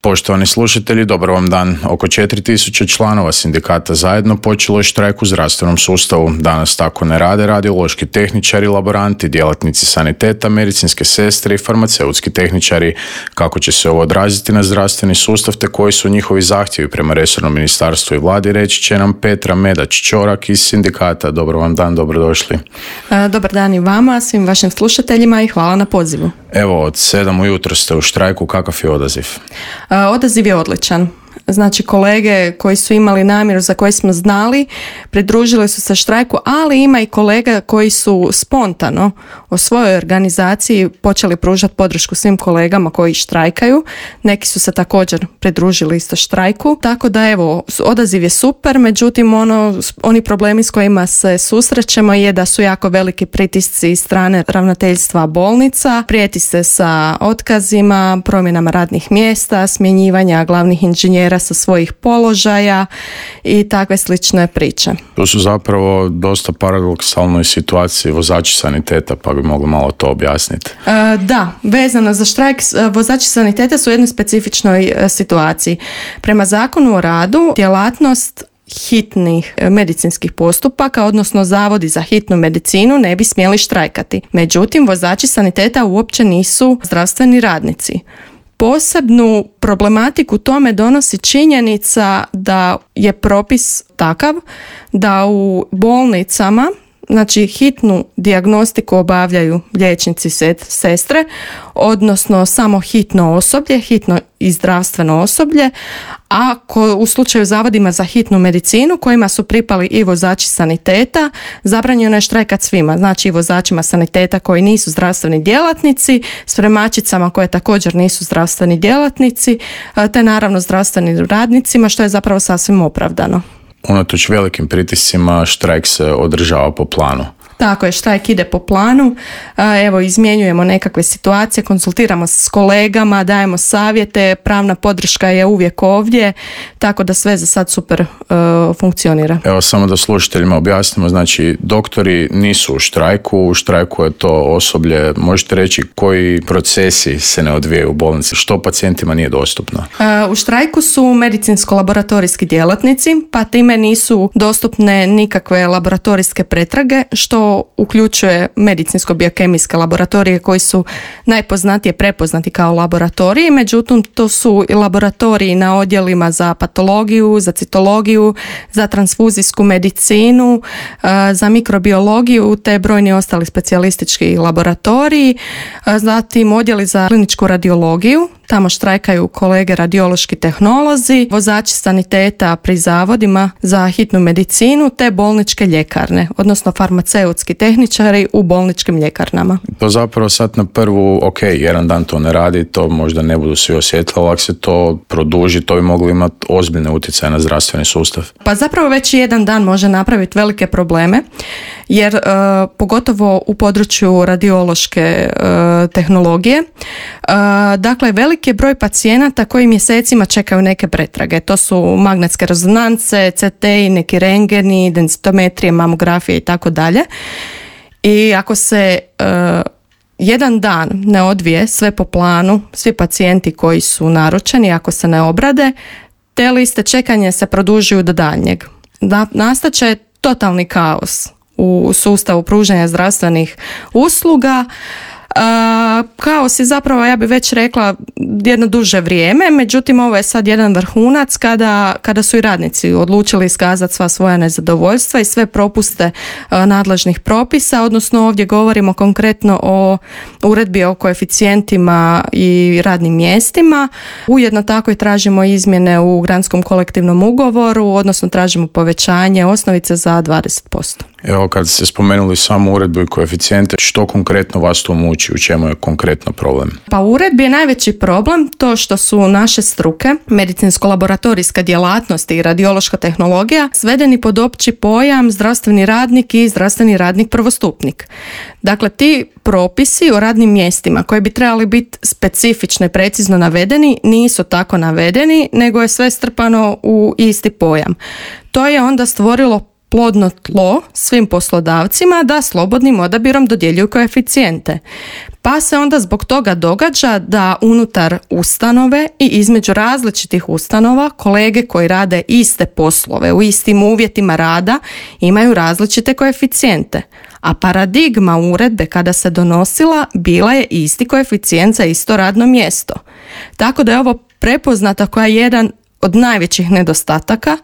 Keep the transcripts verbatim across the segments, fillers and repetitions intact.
Poštovani slušatelji, dobar vam dan. Oko četiri tisuće članova sindikata Zajedno počelo je štrajk u zdravstvenom sustavu. Danas tako ne rade radiološki tehničari, laboranti, djelatnici saniteta, medicinske sestre i farmaceutski tehničari. Kako će se ovo odraziti na zdravstveni sustav te koji su njihovi zahtjevi prema resornom ministarstvu i vladi, reći će nam Petra Medač-Čorak iz sindikata. Dobar vam dan, dobrodošli. Dobar dan i vama, svim vašim slušateljima i hvala na pozivu. Evo, od sedam ujutro ste u štrajku, kakav je odaziv? Odaziv je odličan. Znači, kolege koji su imali namjeru, za koje smo znali, pridružili su se štrajku, ali ima i kolega koji su spontano o svojoj organizaciji počeli pružati podršku svim kolegama koji štrajkaju. Neki su se također pridružili isto štrajku. Tako da evo, odaziv je super, međutim ono, oni problemi s kojima se susrećemo je da su jako veliki pritisci iz strane ravnateljstva bolnica, prijeti se sa otkazima, promjenama radnih mjesta, smjenjivanja glavnih inženjera sa svojih položaja i takve slične priče. To su zapravo dosta paradoksalnoj situaciji vozači saniteta, pa bi mogli malo to objasniti. E, da, vezano za štrajk, vozači saniteta su u jednoj specifičnoj situaciji. Prema Zakonu o radu, djelatnost hitnih medicinskih postupaka, odnosno zavodi za hitnu medicinu, ne bi smjeli štrajkati. Međutim, vozači saniteta uopće nisu zdravstveni radnici. Posebnu problematiku tome donosi činjenica da je propis takav da u bolnicama, znači hitnu dijagnostiku obavljaju liječnici, sestre, odnosno samo hitno osoblje, hitno i zdravstveno osoblje, a ko, u slučaju zavodima za hitnu medicinu kojima su pripali i vozači saniteta, zabranjeno je štrajkat svima, znači i vozačima saniteta koji nisu zdravstveni djelatnici, spremačicama koje također nisu zdravstveni djelatnici, te naravno zdravstvenim radnicima, što je zapravo sasvim opravdano. Unatoč velikim pritiscima štrajk se održava po planu. Tako je, štrajk ide po planu, evo izmjenjujemo nekakve situacije, konsultiramo se s kolegama, dajemo savjete, pravna podrška je uvijek ovdje, tako da sve za sad super uh, funkcionira. Evo samo da slušateljima objasnimo, znači doktori nisu u štrajku, u štrajku je to osoblje, možete reći koji procesi se ne odvijaju u bolnici, što pacijentima nije dostupno? Uh, u štrajku su medicinsko-laboratorijski djelatnici, pa time nisu dostupne nikakve laboratorijske pretrage, što uključuje medicinsko-biokemijske laboratorije koji su najpoznatije prepoznati kao laboratoriji, međutim to su i laboratoriji na odjelima za patologiju, za citologiju, za transfuzijsku medicinu, za mikrobiologiju te brojni ostali specijalistički laboratoriji, zatim odjeli za kliničku radiologiju. Tamo štrajkaju kolege radiološki tehnolozi, vozači saniteta pri zavodima za hitnu medicinu te bolničke ljekarne, odnosno farmaceutski tehničari u bolničkim ljekarnama. To zapravo sad na prvu, ok, jedan dan to ne radi, to možda ne budu svi osjetili, ali ako se to produži, to bi moglo imati ozbiljne utjecaje na zdravstveni sustav. Pa zapravo već jedan dan može napraviti velike probleme, jer uh, pogotovo u području radiološke uh, tehnologije, uh, dakle velik je broj pacijenata koji mjesecima čekaju neke pretrage. To su magnetske rezonance, C T, neki rengeni, densitometrije, mamografije i tako dalje. I ako se uh, jedan dan ne odvije sve po planu, svi pacijenti koji su naručeni, ako se ne obrade, te liste čekanja se produžuju do daljnjeg. Da, nastaće totalni kaos u sustavu pružanja zdravstvenih usluga. Uh, kaos je zapravo, ja bih već rekla, jedno duže vrijeme, međutim ovo je sad jedan vrhunac kada, kada su i radnici odlučili iskazati sva svoja nezadovoljstva i sve propuste uh, nadležnih propisa, odnosno ovdje govorimo konkretno o uredbi o koeficijentima i radnim mjestima. Ujedno tako i tražimo izmjene u granskom kolektivnom ugovoru, odnosno tražimo povećanje osnovice za dvadeset posto. Evo, kad ste spomenuli samo uredbu i koeficijente, što konkretno vas to muči, u čemu je konkretno problem? Pa u uredbi je najveći problem to što su naše struke, medicinsko-laboratorijska djelatnost i radiološka tehnologija, svedeni pod opći pojam zdravstveni radnik i zdravstveni radnik prvostupnik. Dakle, ti propisi o radnim mjestima koji bi trebali biti specifično i precizno navedeni nisu tako navedeni, nego je sve strpano u isti pojam. To je onda stvorilo plodno tlo svim poslodavcima da slobodnim odabirom dodjeljuju koeficijente. Pa se onda zbog toga događa da unutar ustanove i između različitih ustanova kolege koji rade iste poslove u istim uvjetima rada imaju različite koeficijente. A paradigma uredbe kada se donosila bila je isti koeficijent za isto radno mjesto. Tako da je ovo prepoznata koja je jedan od najvećih nedostataka.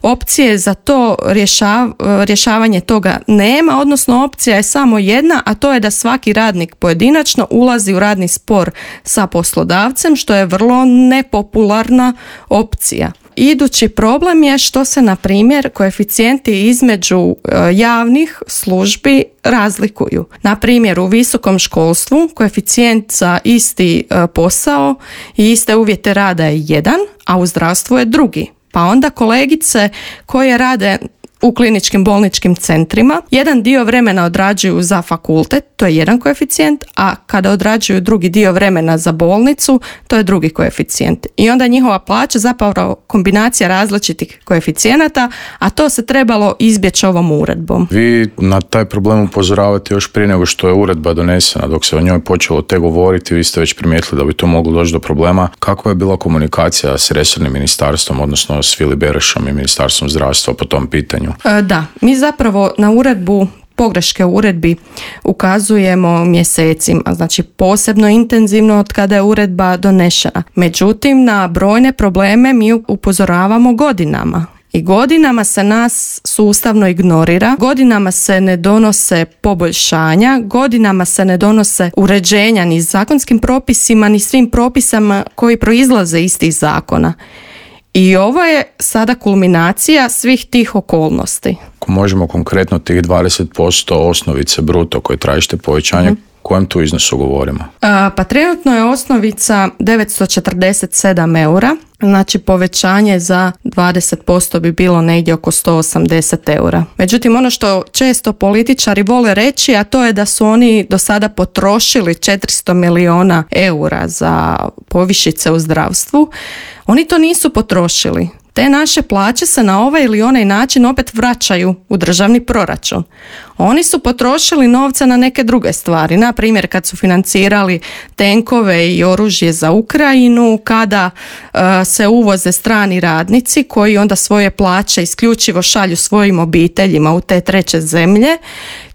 Opcije za to rješav, rješavanje toga nema, odnosno opcija je samo jedna, a to je da svaki radnik pojedinačno ulazi u radni spor sa poslodavcem, što je vrlo nepopularna opcija. Idući problem je što se, na primjer, koeficijenti između javnih službi razlikuju. Na primjer, u visokom školstvu koeficijent za isti posao i iste uvjete rada je jedan, a u zdravstvu je drugi. Pa onda kolegice koje rade u kliničkim bolničkim centrima jedan dio vremena odrađuju za fakultet, to je jedan koeficijent, a kada odrađuju drugi dio vremena za bolnicu, to je drugi koeficijent. I onda njihova plaća zapravo kombinacija različitih koeficijenata, a to se trebalo izbjeći ovom uredbom. Vi na taj problem upozoravate još prije nego što je uredba donesena, dok se o njoj počelo te govoriti, vi ste već primijetili da bi to moglo doći do problema. Kakva je bila komunikacija s resornim ministarstvom, odnosno s Vili Berošom i Ministarstvom zdravstva po tom pitanju? Da, mi zapravo na uredbu, pogreške u uredbi ukazujemo mjesecima, znači posebno intenzivno od kada je uredba donešena. Međutim, na brojne probleme mi upozoravamo godinama. I godinama se nas sustavno ignorira, godinama se ne donose poboljšanja, godinama se ne donose uređenja ni zakonskim propisima, ni svim propisama koji proizlaze iz tih zakona. I ovo je sada kulminacija svih tih okolnosti. Ako možemo konkretno tih dvadeset posto osnovice bruto koje tražite povećanje, mm. kojem tu iznosu govorimo? A, pa trenutno je osnovica devetsto četrdeset sedam eura, znači povećanje za dvadeset posto bi bilo negdje oko sto osamdeset eura. Međutim, ono što često političari vole reći, a to je da su oni do sada potrošili četiristo milijuna eura za povišice u zdravstvu. Oni to nisu potrošili. Te naše plaće se na ovaj ili onaj način opet vraćaju u državni proračun. Oni su potrošili novce na neke druge stvari, na primjer kad su financirali tenkove i oružje za Ukrajinu, kada uh, se uvoze strani radnici koji onda svoje plaće isključivo šalju svojim obiteljima u te treće zemlje.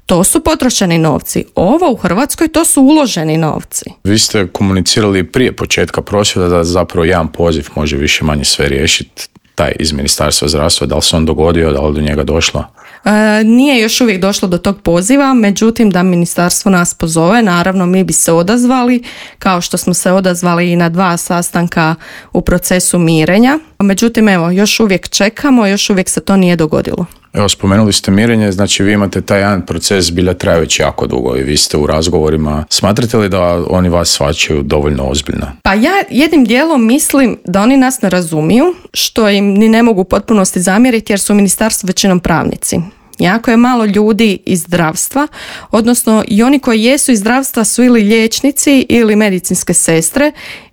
To su potrošeni novci. Ovo u Hrvatskoj to su uloženi novci. Vi ste komunicirali prije početka prosvjeda da zapravo jedan poziv može više manje sve riješiti, taj iz Ministarstva zdravstva. Da li se on dogodio, da li do njega došlo? E, nije još uvijek došlo do tog poziva, međutim da ministarstvo nas pozove, naravno mi bi se odazvali, kao što smo se odazvali i na dva sastanka u procesu mirenja. Međutim, evo, još uvijek čekamo, još uvijek se to nije dogodilo. Evo, spomenuli ste mirenje, znači vi imate taj jedan proces bilja traje već jako dugo i vi ste u razgovorima. Smatrate li da oni vas shvaćaju dovoljno ozbiljno? Pa ja jednim dijelom mislim da oni nas ne razumiju, što im ni ne mogu u potpunosti zamjeriti jer su u ministarstvu većinom pravnici. Jako je malo ljudi iz zdravstva, odnosno i oni koji jesu iz zdravstva su ili liječnici ili medicinske sestre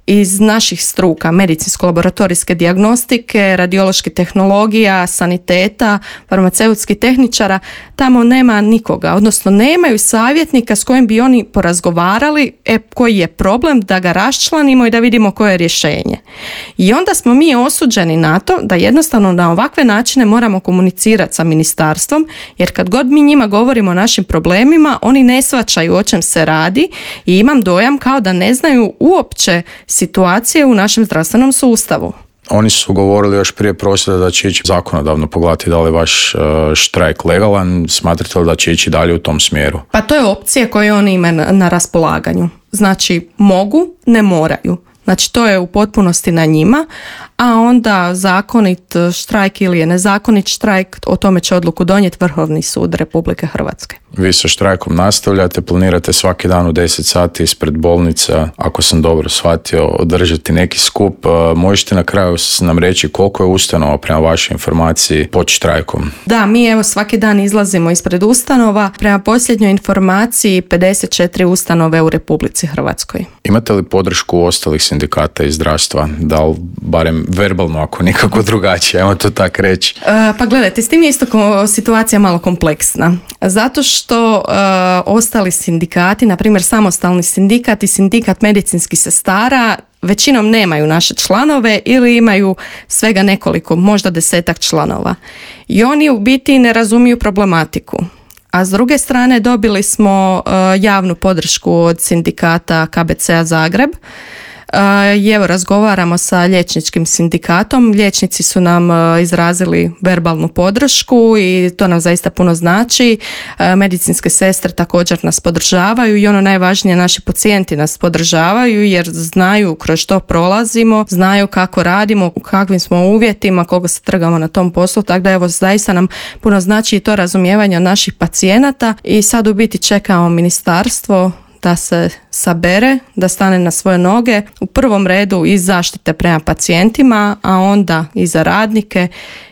iz naših struka, medicinsko-laboratorijske dijagnostike, radioloških tehnologija, saniteta, farmaceutskih tehničara. Tamo nema nikoga, odnosno nemaju savjetnika s kojim bi oni porazgovarali e, koji je problem, da ga raščlanimo i da vidimo koje je rješenje. I onda smo mi osuđeni na to da jednostavno na ovakve načine moramo komunicirati sa ministarstvom, jer kad god mi njima govorimo o našim problemima, oni ne shvaćaju o čem se radi i imam dojam kao da ne znaju uopće situacije u našem zdravstvenom sustavu. Oni su govorili još prije prosvjeda da će ići zakonodavno pogledati da li je vaš štrajk legalan. Smatrate li da će ići dalje u tom smjeru? Pa to je opcija koju oni imaju na, na raspolaganju. Znači mogu, ne moraju. Znači to je u potpunosti na njima, a onda zakonit štrajk ili je nezakonit štrajk, o tome će odluku donijeti Vrhovni sud Republike Hrvatske. Vi sa štrajkom nastavljate, planirate svaki dan u deset sati ispred bolnica, ako sam dobro shvatio, održati neki skup. Možete na kraju nam reći koliko je ustanova prema vašoj informaciji pod štrajkom? Da, mi evo svaki dan izlazimo ispred ustanova. Prema posljednjoj informaciji pedeset četiri ustanove u Republici Hrvatskoj. Imate li podršku ostalih sindikata sindikata iz zdravstva, da li barem verbalno, ako nikako drugačije, ajmo to tak reći? E, pa gledajte, s tim je isto ko, situacija malo kompleksna. Zato što e, ostali sindikati, na primjer samostalni sindikat i sindikat medicinskih sestara, većinom nemaju naše članove ili imaju svega nekoliko, možda desetak članova. I oni u biti ne razumiju problematiku. A s druge strane dobili smo uh, javnu podršku od sindikata K B C-a Zagreb. Uh, I evo razgovaramo sa liječničkim sindikatom. Liječnici su nam uh, izrazili verbalnu podršku i to nam zaista puno znači. Uh, medicinske sestre također nas podržavaju i ono najvažnije, naši pacijenti nas podržavaju jer znaju kroz što prolazimo, znaju kako radimo, u kakvim smo uvjetima, koliko se trgamo na tom poslu, tako da evo zaista nam puno znači i to razumijevanje od naših pacijenata i sad u biti čekamo ministarstvo da se sabere, da stane na svoje noge, u prvom redu iz zaštite prema pacijentima, a onda i za radnike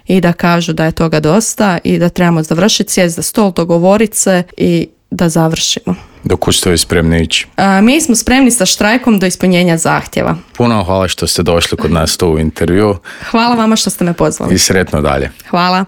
i da kažu da je toga dosta i da trebamo završiti, sjest za stol, dogovoriti se i da završimo. Dok ste vi spremni ići? A, mi smo spremni sa štrajkom do ispunjenja zahtjeva. Puno hvala što ste došli kod nas tu u intervju. Hvala vama što ste me pozvali. I sretno dalje. Hvala.